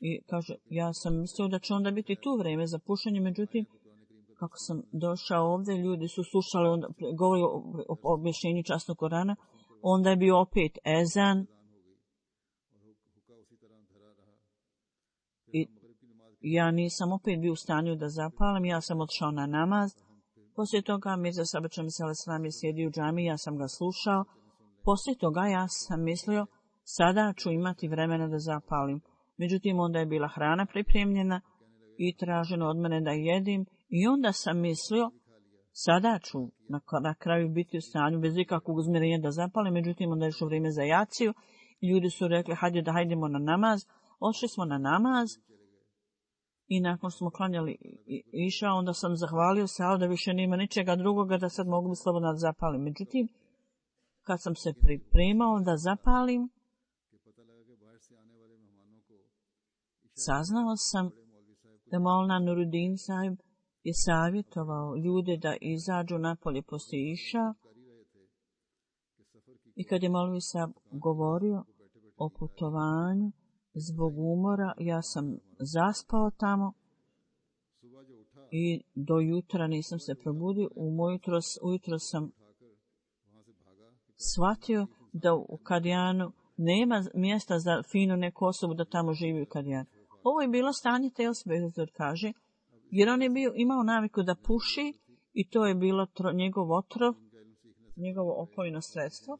[SPEAKER 2] I kaže, ja sam mislio da će onda biti tu vrijeme za pušenje. Međutim, kako sam došao ovdje, ljudi su slušali, onda, govori o, o, o objašnjenju časnog Korana. Onda je bio opet ezan. I ja nisam opet bio u stanju da zapalim, ja sam otišao na namaz. Poslije toga Mirza Sabača Mesija Salam je sjedio u džami, ja sam ga slušao. Poslije toga ja sam mislio, sada ću imati vremena da zapalim. Međutim, onda je bila hrana pripremljena i traženo od mene da jedim. I onda sam mislio, sada ću na, na kraju biti u stanju bez ikakvog uzmirenja da zapalim. Međutim, onda je išlo vrijeme za jaciju. Ljudi su rekli, hajde da hajdemo na namaz. Ošli smo na namaz. I nakon smo klanjali iša, onda sam zahvalio se, ali da više nema ničega drugoga, da sad mogu bi slobodno da zapalim. Međutim, kad sam se pripremao da zapalim, saznao sam da Maulana Nuruddin sahib je savjetovao ljude da izađu napolje poslije iša. I kad je Maulvi sahib govorio o putovanju, zbog umora, ja sam zaspao tamo i do jutra nisam se probudio. Ujutro, ujutro sam shvatio da u Kadijanu nema mjesta za finu neku osobu da tamo živi u Kadijanu. Ovo je bilo stanje Telsbezor kaže, jer on je bio, imao naviku da puši i to je bilo tro, njegov otrov, njegovo opojno sredstvo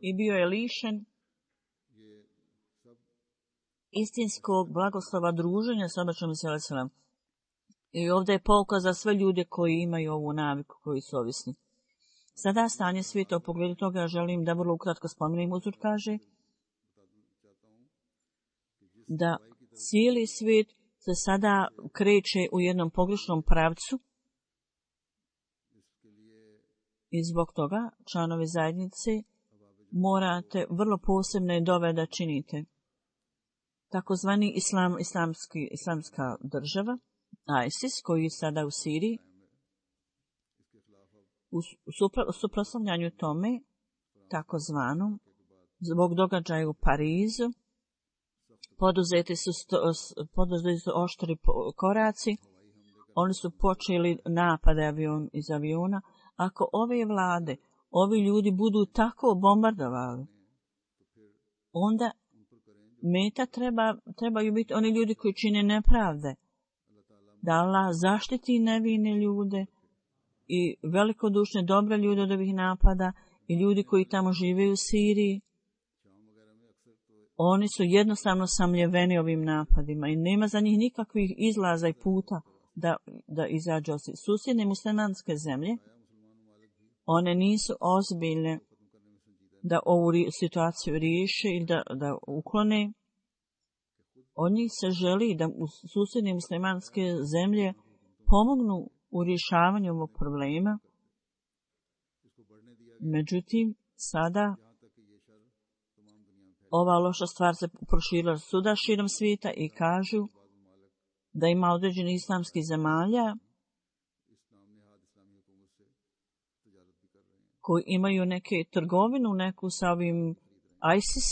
[SPEAKER 2] i bio je lišen istinskog blagoslova druženja s obećanom Mesija Salam. I ovdje je pouka za sve ljude koji imaju ovu naviku, koji su ovisni. Sada stanje svijeta u pogledu toga želim da vrlo ukratko spomenem. Uzur kaže da cijeli svijet se sada kreće u jednom pogrešnom pravcu i zbog toga članovi zajednice morate vrlo posebne dove da činite. Takozvani islam, islamski, islamska država, ISIS, koji je sada u Siriji, U suprotstavljanju tome, takozvanom, zbog događaja u Parizu, poduzeti su, poduzeti su oštri koraci, oni su počeli napade avion, iz aviona. Ako ove vlade, ovi ljudi budu tako bombardovali, onda meta treba, trebaju biti oni ljudi koji čine nepravde. Da Allah zaštiti nevine ljude i velikodušne dobre ljude od ovih napada i ljudi koji tamo žive u Siriji. Oni su jednostavno samljeveni ovim napadima i nema za njih nikakvih izlaza i puta da, da izađu. Susjedne muslimanske zemlje, one nisu ozbiljne da ovu situaciju riješe ili da, da uklone. Od njih se želi da u susjedne muslimanske zemlje pomognu u rješavanju ovog problema. Međutim, sada ova loša stvar se proširila svuda širom svijeta i kažu da ima određeni islamskih zemalja koji imaju neke trgovinu, neku sa ovim ISIS,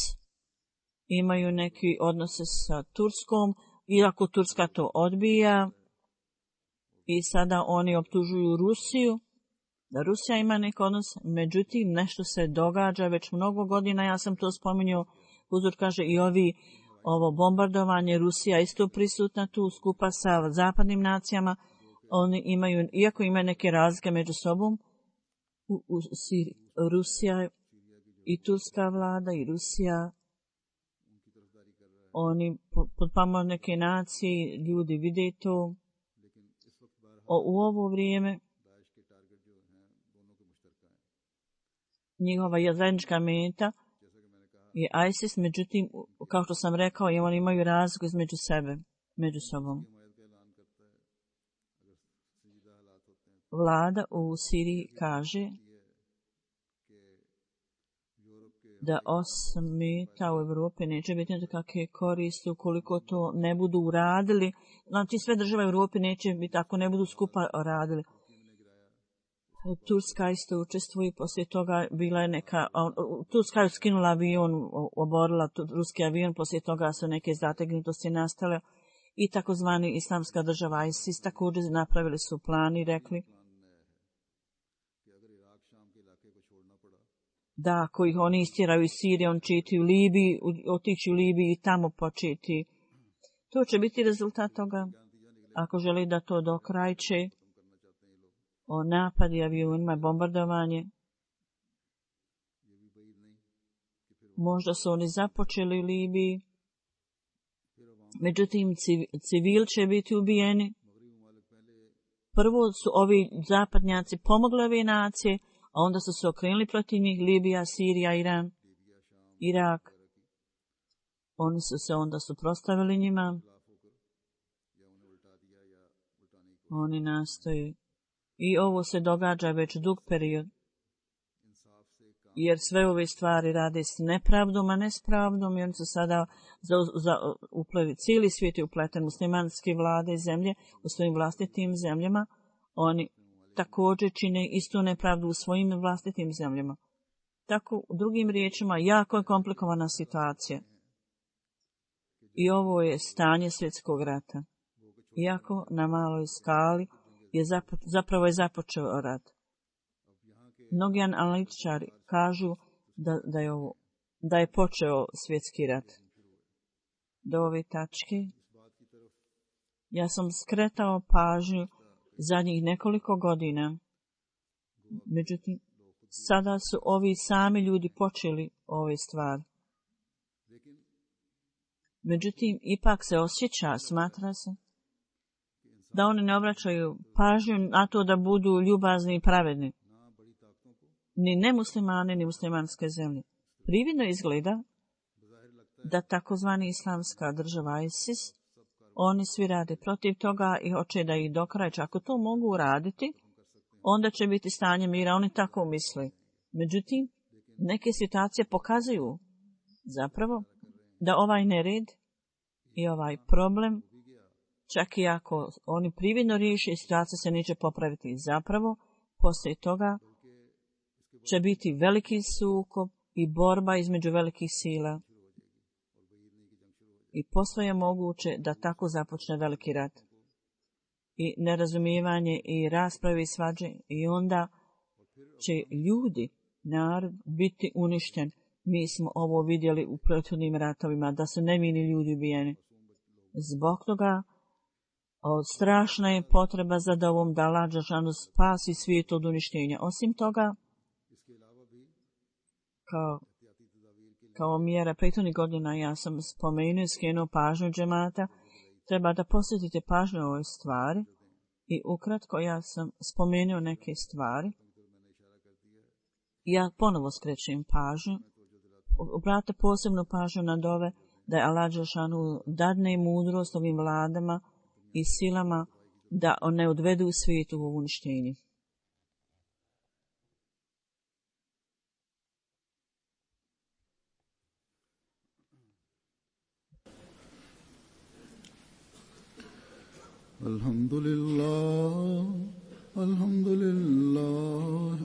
[SPEAKER 2] imaju neki odnose sa Turskom, iako Turska to odbija i sada oni optužuju Rusiju, da Rusija ima neki odnos, međutim nešto se događa već mnogo godina, ja sam to spominjao, Huzur kaže i ovi, ovo bombardovanje, Rusija isto prisutna tu skupa sa zapadnim nacijama, oni imaju, iako imaju neke razlike među sobom, u, u Siriji, Rusija i turska vlada i Rusija, oni potpamo neke nacije, ljudi vide to. O, u ovo vrijeme njihova je zajednička meta je ISIS, međutim, kao što sam rekao, oni imaju razliku između sebe, među sobom. Vlada u Siriji kaže da osim meta u Evropi neće biti nekakve koristi ukoliko to ne budu uradili. Znači sve države u Evropi neće biti ako ne budu skupa radili. Turska isto učestvuje, poslije toga bila je neka, Turska je skinula avion, oborila ruski avion, poslije toga su neke zategnutosti nastale i takozvani islamska država ISIS također napravili su plan i rekli da ako ih oni istjeraju iz Sirije, on će iti u Libiji, otići u Libiji i tamo početi. To će biti rezultat toga, ako želi da to dokrajče, o napadi avionima, bombardovanje. Možda su oni započeli u Libiji, međutim civil će biti ubijeni. Prvo su ovi zapadnjaci pomogli ove nacije, a onda su se okrenuli protiv njih, Libija, Sirija, Iran, Irak. Oni su se onda suprotstavili njima. Oni nastoje. I ovo se događa već dug period. Jer sve ove stvari rade s nepravdom, a ne s pravdom. I oni su sada za, za, uplevi, cijeli svijet je upleten, muslimanske vlade i zemlje u svojim vlastitim zemljama. Oni također čine istu nepravdu u svojim vlastitim zemljama. Tako, u drugim riječima, jako je komplikovana situacija. I ovo je stanje svjetskog rata. Iako na maloj skali je zapo, zapravo je započeo rat. Mnogi analitičari kažu da, da, je ovo, da je počeo svjetski rat. Do ove tačke ja sam skretao pažnju zadnjih nekoliko godina. Međutim, sada su ovi sami ljudi počeli ove stvari. Međutim, ipak se osjeća, smatra se, da oni ne obraćaju pažnju na to da budu ljubazni i pravedni. Ni nemuslimani, ni muslimanske zemlje. Prividno izgleda da takozvani islamska država ISIS, oni svi rade protiv toga i hoće da ih dokrajče. Ako to mogu uraditi, onda će biti stanje mira. Oni tako misle. Međutim, neke situacije pokazuju zapravo da ovaj nered i ovaj problem, čak i ako oni prividno riješe, situacija se neće popraviti. Zapravo, poslije toga će biti veliki sukob i borba između velikih sila. I posve je moguće da tako započne veliki rat. I nerazumijevanje i rasprave i svađe. I onda će ljudi, narod, biti uništen. Mi smo ovo vidjeli u prethodnim ratovima, da su nevini ljudi ubijeni. Zbog toga od strašna je potreba za dovom da Allah dželešanu spasi svijet od uništenja. Osim toga, kao, kao mjera prethodnih godina ja sam spomenuo i skrenuo pažnju džemata, treba da posjetite pažnju o ovoj stvari i ukratko ja sam spomenuo neke stvari. Ja ponovo skrećem pažnju, obratite posebnu pažnju na dove da je Allah dželešanu dadne mudrost ovim vladama i silama da ne odvedu svijetu u uništenje.
[SPEAKER 1] Alhamdulillah, alhamdulillah,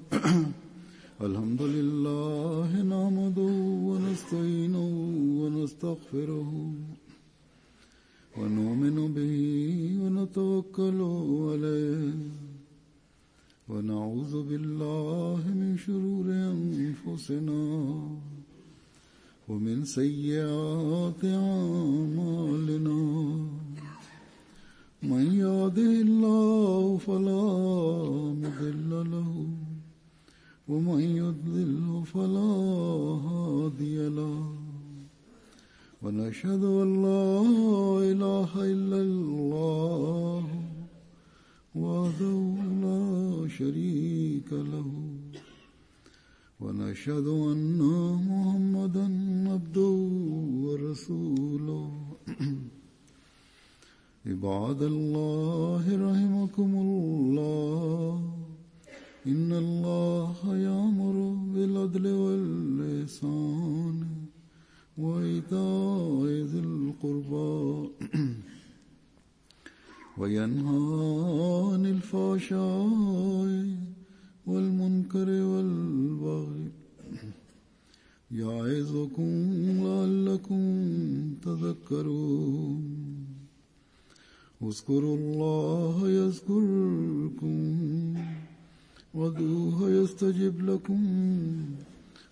[SPEAKER 1] alhamdulillah, nahmaduhu wa nasta'inuhu wa nastaghfiruhu. ونؤمن به ونتوكل عليه ونعوذ بالله من شرور أنفسنا ومن سيئات أعمالنا من يهده الله فلا مضل له ومن يضلل فلا هادي له ونشهد أن لا إله إلا الله وحده لا شريك له ونشهد أن محمدا عبده ورسوله عباد الله رحمكم الله إن الله يأمر بالعدل والإحسان وإيتاء ذي القربى وينهى عن الفحشاء والمنكر والبغي يعظكم لعلكم تذكرون اذكروا الله يذكركم وادعوه يستجب لكم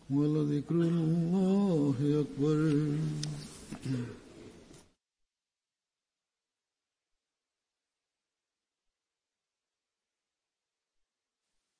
[SPEAKER 1] ولذكر الله أكبر